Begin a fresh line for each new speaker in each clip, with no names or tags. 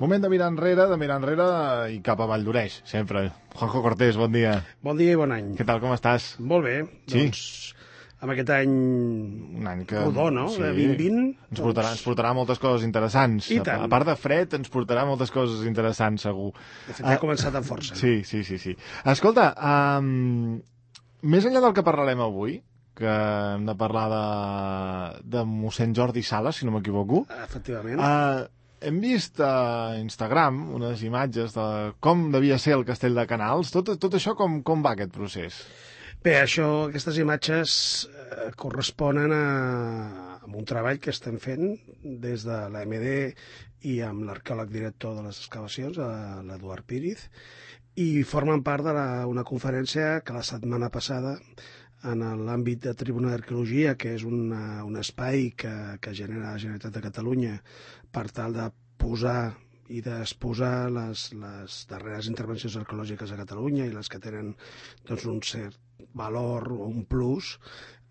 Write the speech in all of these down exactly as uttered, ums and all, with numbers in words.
Moment de mirar enrere, de mirar enrere i cap a Valldoreix, sempre. Juanjo Cortés, bon dia.
Bon dia i bon any.
Què tal, com estàs?
Molt bé.
Sí.
Doncs amb aquest any,
Un any que...
rodó, no?
Sí.
De vint vint.
Ens portarà, ens portarà moltes coses interessants.
I tant.
A part de fred, ens portarà moltes coses interessants, segur.
De fet, ja ha començat amb força.
Sí, sí, sí. sí. Escolta, um, més enllà del que parlarem avui, que hem de parlar de, de mossèn Jordi Sala, si no m'equivoco,
Efectivament.
uh, hem vist a Instagram unes imatges de com devia ser el castell de Canals. Tot, tot això, com, com va aquest procés?
Bé, això, aquestes imatges eh, corresponen a, a un treball que estem fent des de l'A M D i amb l'arqueòleg director de les excavacions, l'Eduard Píriz, i formen part d'una conferència que la setmana passada, en l'àmbit de Tribuna d'Arqueologia, que és una, un espai que, que genera la Generalitat de Catalunya per tal de posar i d'exposar les, les darreres intervencions arqueològiques a Catalunya i les que tenen doncs, un cert valor o un plus,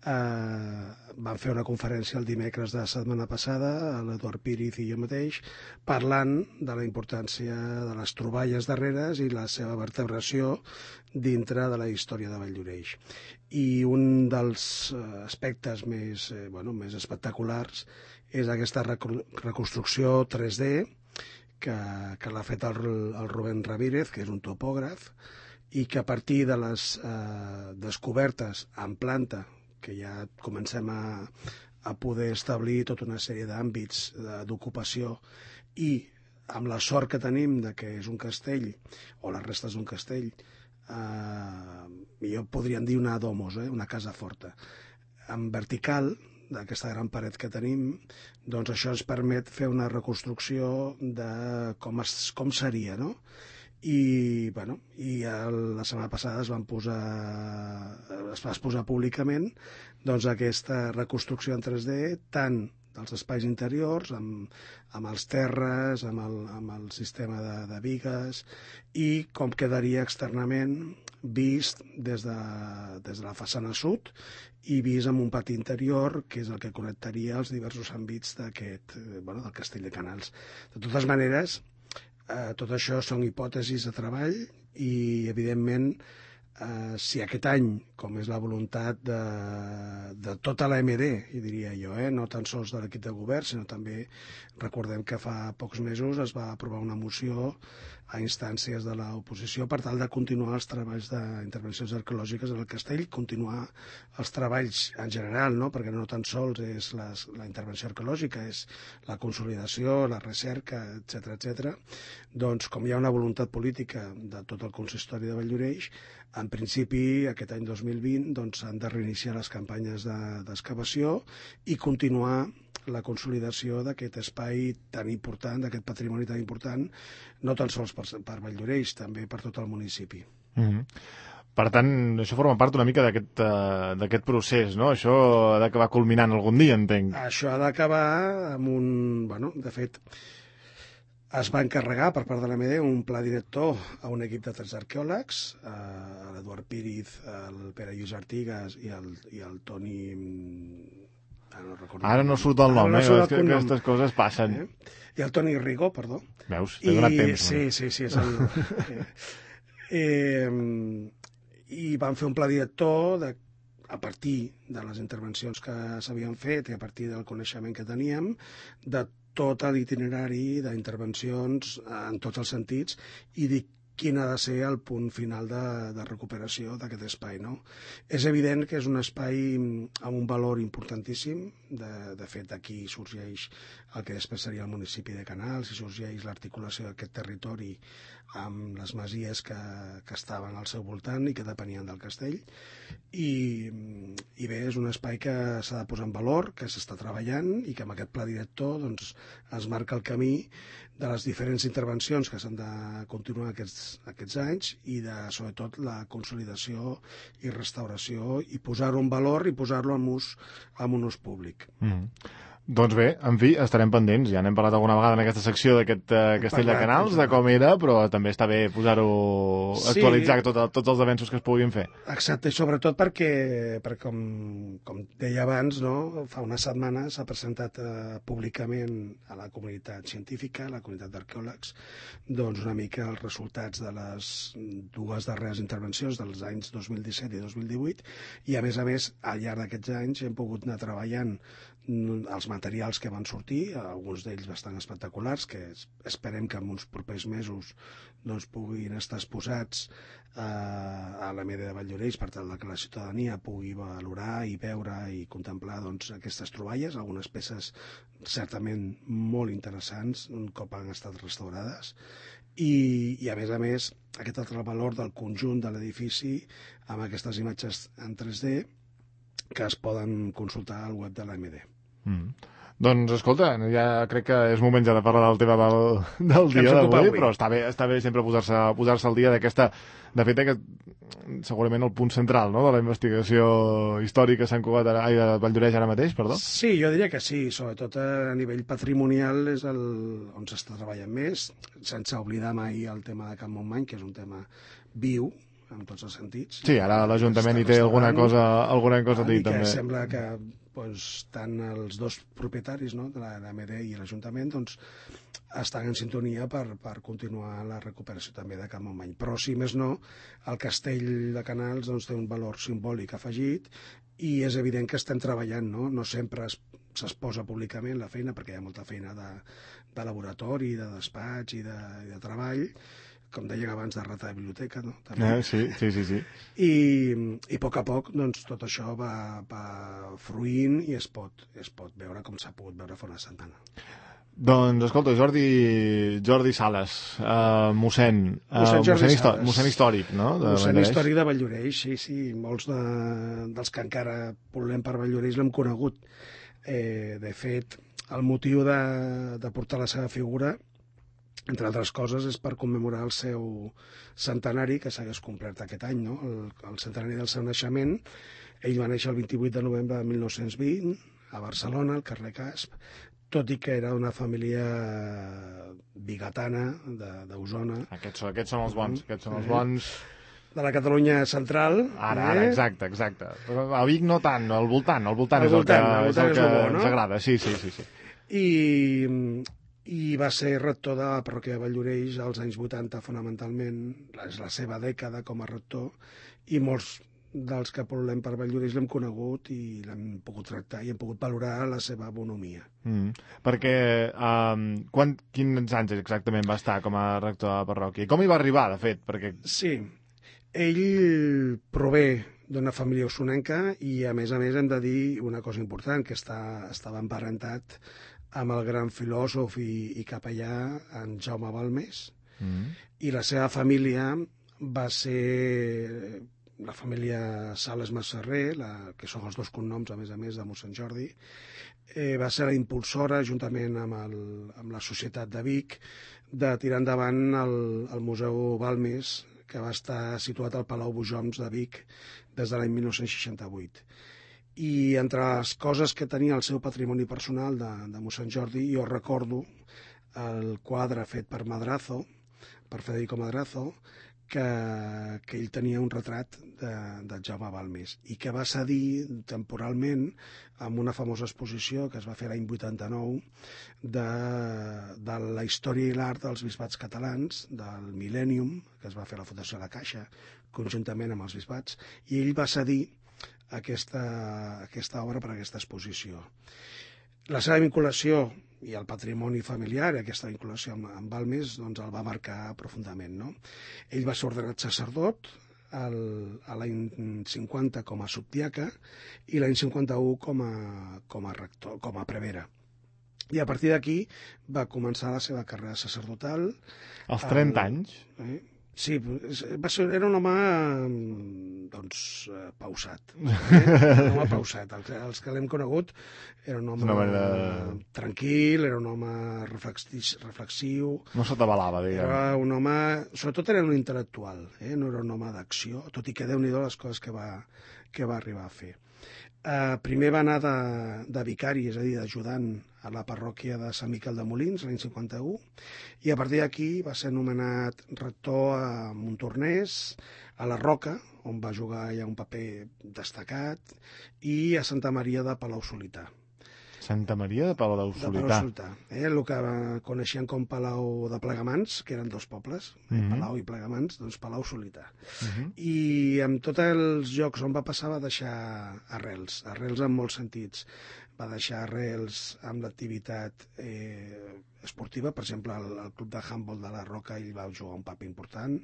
eh, vam fer una conferència el dimecres de la setmana passada, l'Eduard Píriz i jo mateix, parlant de la importància de les troballes darreres i la seva vertebració dintre de la història de Valldoreix. I un dels aspectes més, eh, bueno, més espectaculars és aquesta reconstrucció tres D que, que l'ha fet el, el Rubén Ramírez, que és un topògraf, i que a partir de les eh, descobertes en planta, que ja comencem a, a poder establir tota una sèrie d'àmbits d'ocupació, i amb la sort que tenim de que és un castell, o les restes d'un castell, eh, millor podríem dir una domus, eh, una casa forta, en vertical, d'aquesta gran paret que tenim, doncs això ens permet fer una reconstrucció de com, es, com seria, no? I, bueno, i el, la setmana passada es van posar, es va exposar públicament doncs, aquesta reconstrucció en tres D, tant dels espais interiors, amb, amb els terres, amb el, amb el sistema de, de bigues, i com quedaria externament vist des de, des de la façana sud i vist amb un pati interior, que és el que connectaria els diversos àmbits d'aquest, bueno, del castell de Canals. De totes maneres, eh, tot això són hipòtesis de treball i, evidentment, eh, si aquest any, com és la voluntat de, de tota l'A M D, i diria jo, eh, no tan sols de l'equip de govern, sinó també, recordem que fa pocs mesos es va aprovar una moció a instàncies de l'oposició per tal de continuar els treballs d'intervencions arqueològiques en el castell, continuar els treballs en general, no? Perquè no tan sols és les, la intervenció arqueològica, és la consolidació, la recerca, etcètera, etcètera. Doncs com hi ha una voluntat política de tot el consistori de Valldoreix, en principi aquest any dos mil vint doncs, s'han de reiniciar les campanyes d'excavació i continuar la consolidació d'aquest espai tan important, d'aquest patrimoni tan important, no tan sols per, per Valldoreix, també per tot el municipi.
Mm-hmm. Per tant, això forma part una mica d'aquest uh, procés, no? Això ha d'acabar culminant algun dia, entenc.
Això ha d'acabar amb un... Bueno, de fet, es va encarregar per part de l'A M D un pla director a un equip de tres arqueòlegs, eh, l'Eduard Píriz, el Pere Lluís Artigas i el, i el Toni...
No Ara no surt el nom, no eh? No que aquestes coses passen.
Eh? I el Toni Rigo, perdó.
Veus? T'he donat temps.
Sí, sí, sí. És el... eh, I van fer un pla director de, a partir de les intervencions que s'havien fet i a partir del coneixement que teníem, de tot l'itinerari d'intervencions en tots els sentits i de quin ha de ser el punt final de, de recuperació d'aquest espai, no? És evident que és un espai amb un valor importantíssim, de, de fet d'aquí sorgeix el que després seria el municipi de Canals i sorgeix l'articulació d'aquest territori amb les masies que, que estaven al seu voltant i que depenien del castell, i, i bé, és un espai que s'ha de posar en valor, que s'està treballant i que amb aquest pla director doncs, es marca el camí de les diferents intervencions que s'han de continuar aquests, aquests anys i de, sobretot, la consolidació i restauració i posar-ho en valor i posar-lo en, ús, en un ús públic.
Mm. Doncs bé, en fi, estarem pendents. Ja n'hem parlat alguna vegada en aquesta secció d'aquest uh, Castell de Canals, de com era, però també està bé posar-ho, sí, actualitzar tot, tots els avenços que es puguin fer.
Exacte, i sobretot perquè, perquè com, com deia abans, no? Fa unes setmanes s'ha presentat uh, públicament a la comunitat científica, a la comunitat d'arqueòlegs, doncs una mica els resultats de les dues darreres intervencions dels anys dos mil disset i dos mil divuit, i a més a més, al llarg d'aquests anys hem pogut anar treballant els materials que van sortir, alguns d'ells bastant espectaculars, que esperem que en uns propers mesos doncs, puguin estar exposats eh, a l'A M D de Valldoreix per tal que la ciutadania pugui valorar i veure i contemplar doncs, aquestes troballes, algunes peces certament molt interessants un cop han estat restaurades, i, i a més a més aquest altre valor del conjunt de l'edifici amb aquestes imatges en tres D que es poden consultar al web de l'A M D.
Mm. Doncs, escolta, ja crec que és moment ja de parlar del tema del, del dia d'avui, però està bé, està bé sempre posar-se posar al dia d'aquesta... De fet, que segurament el punt central, no?, de la investigació històrica Sant Cugat, ai, de Valldoreix ara mateix, perdó?
Sí, jo diria que sí, sobretot a nivell patrimonial és el, on s'està treballant més, sense oblidar mai el tema de Can Montmany, que és un tema viu, en tots els sentits.
Sí, ara l'Ajuntament hi té alguna cosa, alguna cosa a dir, també.
I que sembla que doncs, tant els dos propietaris, no?, de l'A M D i l'Ajuntament doncs, estan en sintonia per, per continuar la recuperació també de Can Montmany. Però, si més no, el castell de Canals doncs, té un valor simbòlic afegit i és evident que estem treballant, no? No sempre es, s'exposa públicament la feina, perquè hi ha molta feina de, de laboratori, de despatx i de, i de treball, com deia abans, de rata de biblioteca, no? També.
Eh, sí, sí, sí, sí.
I, i a poc a poc doncs, tot això va, va fruint i es pot, es pot veure com s'ha pogut veure fa una setmana.
Doncs, escolta, Jordi, Jordi Sales, uh, mossèn, uh,
mossèn,
mossèn, histò mossèn històric, no?
De mossèn històric de Valldoreix, sí, sí. Molts de, dels que encara volem per Valldoreix l'hem conegut. Eh, de fet, el motiu de, de portar la seva figura, entre altres coses, és per commemorar el seu centenari, que s'hagués complert aquest any, no? el, el centenari del seu naixement. Ell va néixer el vint-i-vuit de novembre de mil nou-cents vint a Barcelona, al carrer Casp, tot i que era d'una família bigatana d'Osona.
Aquests, aquests són els bons, aquests són els bons...
De la Catalunya central.
Ara, ara, exacte, exacte. Però a Vic no tant, al voltant, al voltant
al
és el
voltant,
que,
és el que
és el que
bo, no?
ens agrada, sí, sí, sí. sí.
I... i va ser rector de la parròquia de Valldoreix als anys vuitanta, fonamentalment. És la seva dècada com a rector, i molts dels que volem per Valldoreix l'hem conegut i l'hem pogut tractar i hem pogut valorar la seva bonomia.
Mm. Perquè, um, quan, quins anys exactament va estar com a rector de la parròquia? Com hi va arribar, de fet? Perquè...
Sí, ell prové d'una família osonenca i, a més a més, hem de dir una cosa important, que està, estava emparentat amb el gran filòsof i, i capellà en Jaume Balmes, mm. i la seva família va ser la família Sales Masserrer, la, que són els dos cognoms, a més a més, de mossèn Jordi, eh, va ser la impulsora, juntament amb, el, amb la Societat de Vic, de tirar endavant el, el Museu Balmes, que va estar situat al Palau Bujoms de Vic des de l'any mil nou-cents seixanta-vuit. I entre les coses que tenia el seu patrimoni personal de, de mossèn Jordi, jo recordo el quadre fet per Madrazo, per Federico Madrazo, que, que ell tenia un retrat de, de Jaume Balmes i que va cedir temporalment amb una famosa exposició que es va fer l'any vuitanta-nou de, de la història i l'art dels bisbats catalans, del Millennium, que es va fer a la Fundació de la Caixa, conjuntament amb els bisbats, i ell va cedir aquesta, aquesta obra per a aquesta exposició. La seva vinculació i el patrimoni familiar, aquesta vinculació amb, amb Balmes, doncs el va marcar profundament, no? Ell va ser ordenat sacerdot el, a l'any cinquanta com a subdiaca i l'any cinquanta-u com a, com a rector, com a prevere. I a partir d'aquí va començar la seva carrera sacerdotal.
Als trenta el, anys?
Eh? Sí, va ser, era un home doncs, eh, pausat. Eh? Un home pausat. Els, els que l'hem conegut era un home manera... tranquil, era un home reflexiu.
No s'atabalava, diguem.
Era un home... Sobretot era un intel·lectual, eh? No era un home d'acció, tot i que Déu-n'hi-do les coses que va, que va arribar a fer. Uh, primer va anar de, de vicari, és a dir, d'ajudant a la parròquia de Sant Miquel de Molins, l'any cinquanta-u, i a partir d'aquí va ser nomenat rector a Montornès, a la Roca, on va jugar ja un paper destacat, i a Santa Maria de Palau-solità.
Santa Maria de Palau-solità.
De Palau-solità, eh? El que coneixien com Palau de Plegamans, que eren dos pobles, eh? Mm-hmm. Palau i Plegamans, doncs Palau-solità. Mm-hmm. I amb tots els llocs on va passar va deixar arrels, arrels en molts sentits. Va deixar arrels amb l'activitat eh, esportiva, per exemple, el, el club de handball de la Roca ell va jugar un paper important,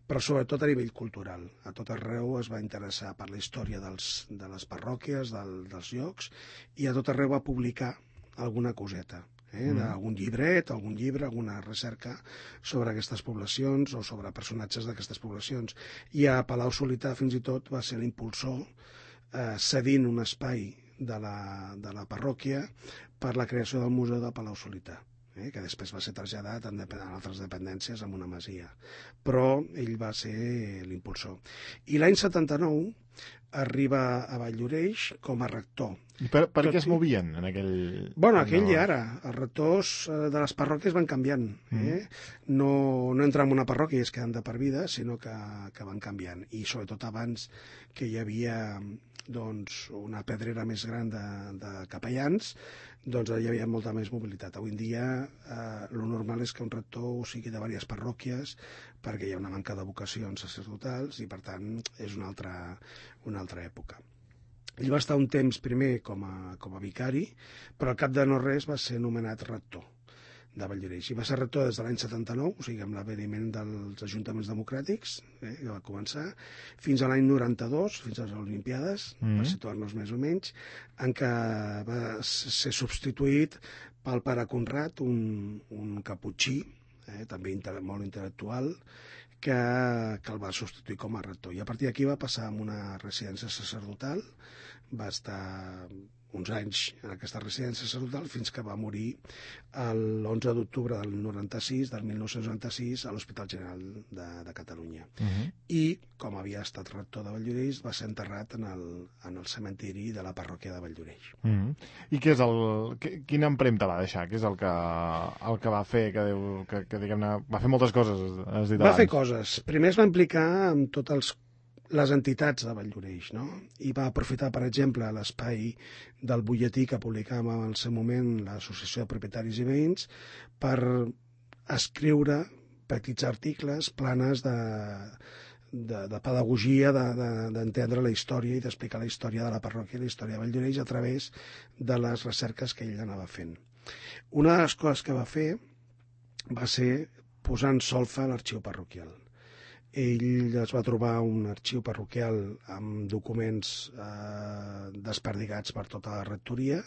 però sobretot a nivell cultural. A tot arreu es va interessar per la història dels, de les parròquies, del, dels llocs, i a tot arreu va publicar alguna coseta. Eh, mm. d'algun llibret, algun llibre, alguna recerca sobre aquestes poblacions o sobre personatges d'aquestes poblacions. I a Palau-solità fins i tot va ser l'impulsor eh, cedint un espai de la, de la parròquia per la creació del Museu de Palau-solità, eh, que després va ser traslladat en, en altres dependències amb una masia. Però ell va ser l'impulsor. I l'any setanta-nou arriba a Valldoreix com a rector.
I per, per què es movien en aquell...
Bueno, aquell i ara. Els rectors de les parròquies van canviant. Eh? Mm. No, no entren en una parròquia i es queden de per vida, sinó que, que van canviant. I sobretot abans que hi havia doncs, una pedrera més gran de, de capellans, doncs hi havia molta més mobilitat. Avui en dia eh, lo normal és que un rector sigui de diverses parròquies perquè hi ha una manca de vocacions sacerdotals i per tant és una altra, una altra època. Ell va estar un temps primer com a, com a vicari, però al cap de no res va ser nomenat rector de Valldoreix. I va ser rector des de l'any setanta-nou, o sigui, amb l'aveniment dels ajuntaments democràtics, eh, que va començar, fins a l'any noranta-dos, fins a les Olimpiades, mm-hmm. per situar-nos més o menys, en què va ser substituït pel pare Conrad, un, un caputxí, eh, també molt intel·lectual, que, que el va substituir com a rector. I a partir d'aquí va passar a una residència sacerdotal, va estar uns anys en aquesta residència sacerdotal fins que va morir l'onze d'octubre del noranta-sis, del mil nou-cents noranta-sis, a l'Hospital General de, de Catalunya. Uh-huh. I, com havia estat rector de Valldoreix, va ser enterrat en el, en el cementiri de la parròquia de Valldoreix.
Uh-huh. I què és el, que, quina empremta va deixar? Què és el que, el que va fer? Que, que, que diguem-ne, va fer moltes coses, has dit abans.
Va fer coses. Primer es va implicar amb tots els les entitats de Valldoreix, no? I va aprofitar, per exemple, l'espai del butlletí que publicàvem en el seu moment l'Associació de Propietaris i Veïns per escriure petits articles, planes de, de, de pedagogia, d'entendre de, de, la història i d'explicar la història de la parròquia i la història de Valldoreix a través de les recerques que ell anava fent. Una de les coses que va fer va ser posar en solfa l'arxiu parroquial. Ell es va trobar un arxiu parroquial amb documents eh, desperdigats per tota la rectoria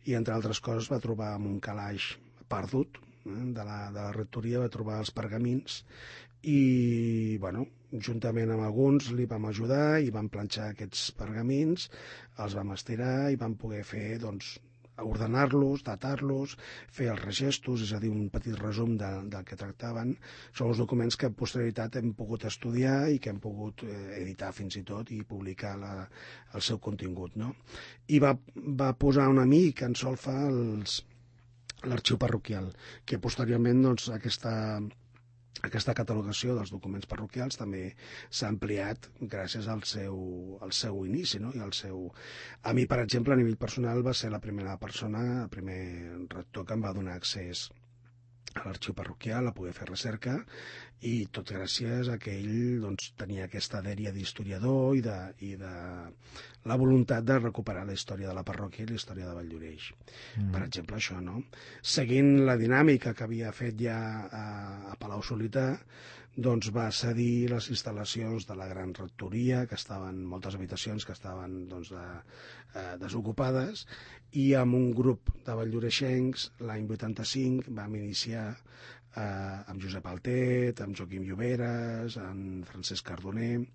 i, entre altres coses, va trobar amb un calaix perdut eh, de, la, de la rectoria, va trobar els pergamins i, bueno, juntament amb alguns li vam ajudar i vam planxar aquests pergamins, els vam estirar i vam poder fer, doncs, ordenar-los, datar-los, fer els regestos, és a dir, un petit resum de, del que tractaven. Són els documents que en posterioritat hem pogut estudiar i que hem pogut eh, editar fins i tot i publicar la, el seu contingut, no? I va, va posar un amic en solfa l'arxiu parroquial, que posteriorment, doncs, aquesta... Aquesta catalogació dels documents parroquials també s'ha ampliat gràcies al seu, al seu inici, no? I al seu... A mi, per exemple, a nivell personal, va ser la primera persona, el primer rector que em va donar accés a l'arxiu parroquial, a poder fer recerca, i tot gràcies a que ell, doncs, tenia aquesta dèria d'historiador i de, i de la voluntat de recuperar la història de la parròquia i la història de Valldoreix. Mm. Per exemple, això, no? Seguint la dinàmica que havia fet ja a, a Palau-solità, doncs va cedir les instal·lacions de la gran rectoria, que estaven, moltes habitacions que estaven, doncs, de, eh, desocupades, i amb un grup de valldoreixencs, l'any vuitanta-cinc, vam iniciar eh, amb Josep Altet, amb Joaquim Lloberes, amb Francesc Cardoner,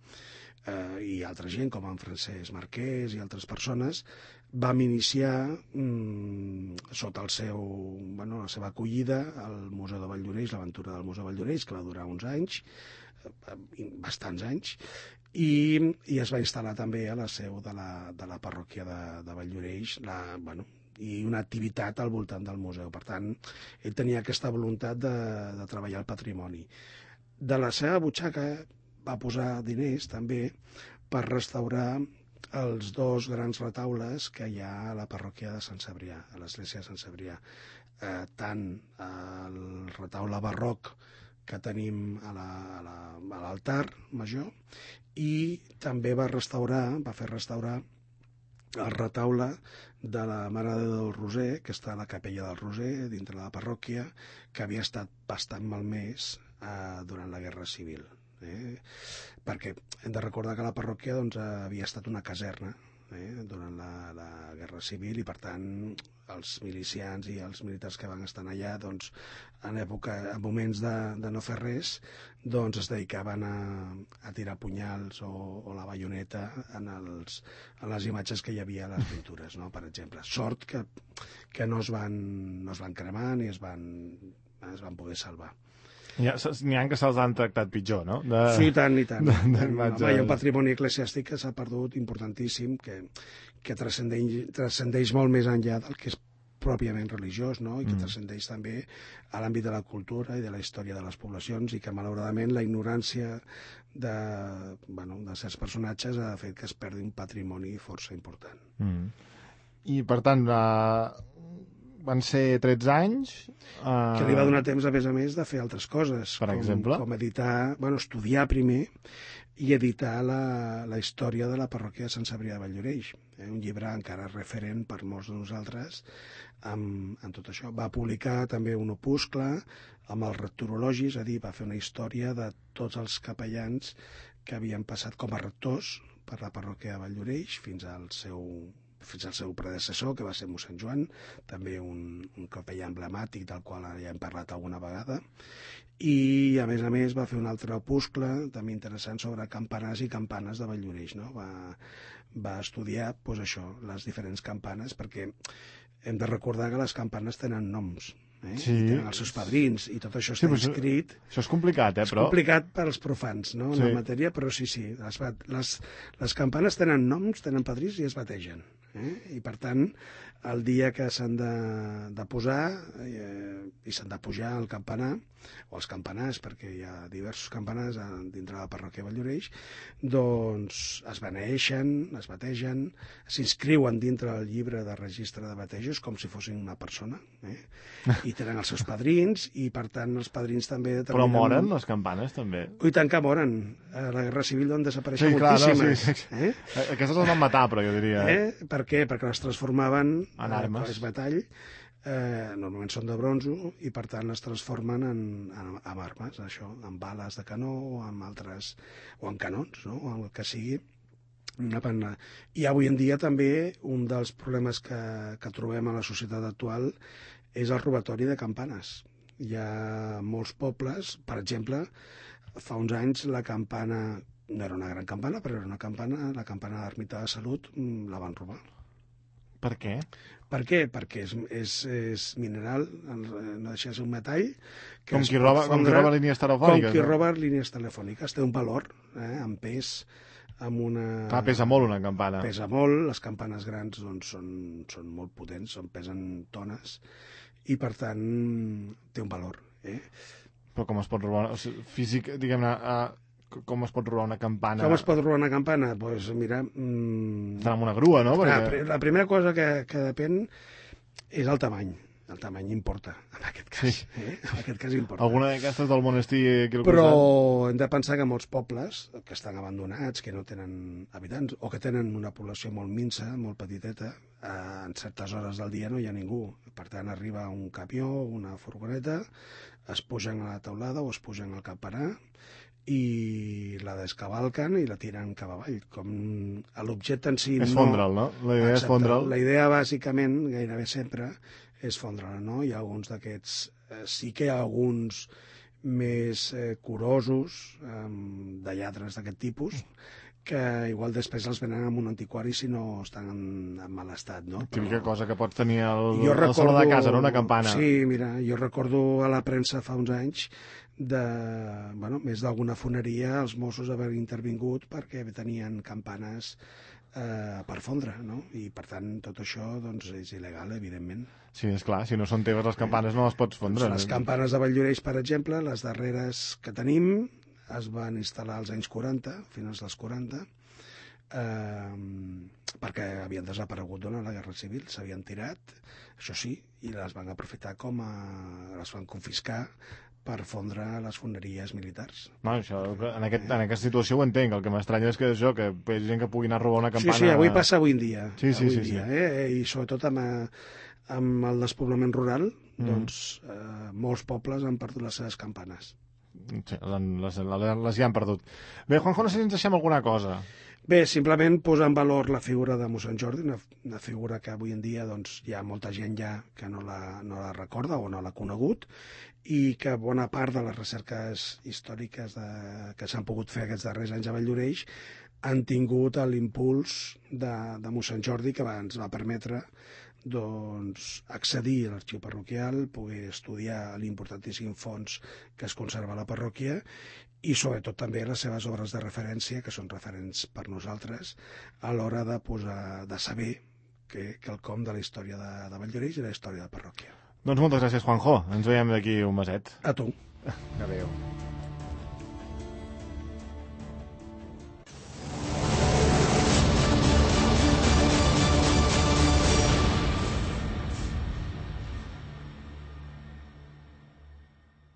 eh, i altra gent, com en Francesc Marquès i altres persones, vam iniciar mm, sota el seu, bueno, la seva acollida al Museu de Valldoreix, l'aventura del Museu de Valldoreix, que va durar uns anys, bastants anys, i, i es va instal·lar també a la seu de la, de la parròquia de, de Valldoreix, la, bueno, i una activitat al voltant del museu. Per tant, ell tenia aquesta voluntat de, de treballar el patrimoni. De la seva butxaca va posar diners també per restaurar els dos grans retaules que hi ha a la parròquia de Sant Cebrià, a l'església de Sant Cebrià. Eh, tant el retaule barroc que tenim a l'altar la, major, i també va restaurar, va fer restaurar el retaule de la Mare de Déu del Roser, que està a la capella del Roser, dintre de la parròquia, que havia estat bastant malmès eh, durant la Guerra Civil. Eh? Perquè hem de recordar que la parròquia doncs, havia estat una caserna eh? durant la, la Guerra Civil, i per tant els milicians i els militars que van estar allà doncs, en època, en moments de, de no fer res, doncs es dedicaven a, a tirar punyals o, o la baioneta en, els, en les imatges que hi havia a les pintures, no? Per exemple. Sort que, que no, es van, no es van cremar ni es van, es van poder salvar.
N'hi ha, ha que se'ls han tractat pitjor, no? De...
Sí, tant i tant. Home, hi ha un patrimoni eclesiàstic que s'ha perdut importantíssim, que, que transcendeix, transcendeix molt més enllà del que és pròpiament religiós, no? I que mm. transcendeix també a l'àmbit de la cultura i de la història de les poblacions, i que malauradament la ignorància de, bueno, de certs personatges ha fet que es perdi un patrimoni força important.
Mm. I per tant, uh, van ser tretze anys... Uh...
Que li va donar temps, a més a més, de fer altres coses.
Per
com,
exemple?
Com editar, bueno, estudiar primer i editar la, la història de la parròquia de Sant Cebrià de Valldoreix. Eh? Un llibre encara referent per molts de nosaltres amb, amb tot això. Va publicar també un opuscle amb els rectorologis, és a dir, va fer una història de tots els capellans que havien passat com a rectors per la parròquia de Valldoreix fins al seu fins al seu predecessor, que va ser mossèn Joan, també un, un capellà emblemàtic del qual ja hem parlat alguna vegada, i a més a més va fer un altre opuscle també interessant sobre campanars i campanes de Valldoreix, no? Va, va estudiar doncs, això, les diferents campanes, perquè hem de recordar que les campanes tenen noms, eh?
Sí.
I tenen els seus padrins, i tot això està sí, inscrit.
Això és complicat, eh, però...
És complicat per als profans, no?, en
sí.
la matèria, però sí, sí, les, les, les campanes tenen noms, tenen padrins i es bategen. Eh? I per tant, el dia que s'han de, de posar eh, i s'han de pujar al campanar, o els campanars, perquè hi ha diversos campanars dintre de la parròquia de Valldoreix, doncs es beneeixen, es bategen, s'inscriuen dintre del llibre de registre de batejos com si fossin una persona, eh? I tenen els seus padrins, i per tant els padrins també determinen...
Però moren les campanes, també?
I tant que moren. A la Guerra Civil van desaparèixer
sí, clar,
moltíssimes.
No, sí, sí.
Eh?
Aquestes les van matar, però jo diria...
Eh? Per què? Perquè les transformaven
en armes.
En batall. Eh, normalment són de bronzo, i per tant les transformen en, en, en armes, això, en bales de canó o en altres, o en canons, no? O en el que sigui. I avui en dia també un dels problemes que, que trobem a la societat actual és el robatori de campanes. Hi ha molts pobles, per exemple, fa uns anys la campana, no era una gran campana, però era una campana, la campana de l'Ermita de Salut, la van robar.
Per què?
Per què? Perquè és, és, és mineral, no deixa de ser un metall... Que
com, qui roba, com qui roba línies telefòniques.
Com qui roba línies telefòniques. Té un valor, eh, en pes, amb una...
Clar, pesa molt una campana.
Pesa molt, les campanes grans doncs, són, són molt potents, són, pesen tones, i per tant té un valor. Eh?
Però com es pot robar? O sigui, físic, diguem-ne... Uh... Com es pot robar una campana?
Com es pot robar una campana? Doncs pues, mira... Mmm...
Està amb una grua, no?
Perquè... La primera cosa que, que depèn és el tamany. El tamany importa, en aquest cas. Sí. Eh? En aquest cas importa.
Alguna d'aquestes del monestir aquí al
Però
costat?
hem de pensar que molts pobles que estan abandonats, que no tenen habitants, o que tenen una població molt minsa, molt petiteta, eh, en certes hores del dia no hi ha ningú. Per tant, arriba un camió, una furgoneta, es pugen a la teulada o es pugen al campanar, i la descavalquen i la tiren cap avall. Com l'objecte en si...
És
no...
fondre'l, no? La idea Exacte. és fondre'l.
La idea, bàsicament, gairebé sempre, és fondre'l, no? Hi ha alguns d'aquests... Eh, sí que hi ha alguns més eh, curosos, eh, de lladres d'aquest tipus, que igual després els venen amb un antiquari si no estan en, en mal estat, no?
Típica cosa que pots tenir al,
jo
al
recordo,
saló de casa, no? Una campana.
Sí, mira, jo recordo a la premsa fa uns anys de, bueno, més d'alguna foneria els Mossos haver intervingut perquè tenien campanes eh, per fondre, no? I per tant tot això doncs, és il·legal, evidentment.
Sí, és clar, si no són teves les campanes no les pots fondre.
Les campanes de Valldoreix, per exemple, les darreres que tenim, es van instal·lar als anys quaranta, finals dels quaranta, eh, perquè havien desaparegut durant la Guerra Civil, s'havien tirat, això sí, i les van aprofitar com a... les van confiscar per fondre les foneries militars.
No, això, en, aquest, en aquesta situació ho entenc, el que m'estranya és que això, que hi ha gent que pugui anar a robar una campana...
Sí, sí, avui passa avui en dia.
Sí, sí,
avui
sí,
dia,
sí.
Eh? I sobretot amb, amb el despoblament rural, mm. doncs eh, molts pobles han perdut les seves campanes.
Sí, les, les, les ja han perdut. Bé, Juanjo, no sé si ens deixem alguna cosa.
Bé, simplement posar en valor la figura de mossèn Jordi, una, una figura que avui en dia doncs, hi ha molta gent ja que no la, no la recorda o no l'ha conegut, i que bona part de les recerques històriques de, que s'han pogut fer aquests darrers anys a Valldoreix han tingut l'impuls de, de mossèn Jordi, que va, ens va permetre doncs, accedir a l'arxiu parroquial, poder estudiar l'importantíssim fons que es conserva a la parròquia i sobretot també les seves obres de referència, que són referents per nosaltres, a l'hora de, posar, de saber que, que el com de la història de, de Valldoreix i la història de la parròquia.
Doncs moltes gràcies, Juanjo. Ens veiem d'aquí un meset.
A tu.
Adéu.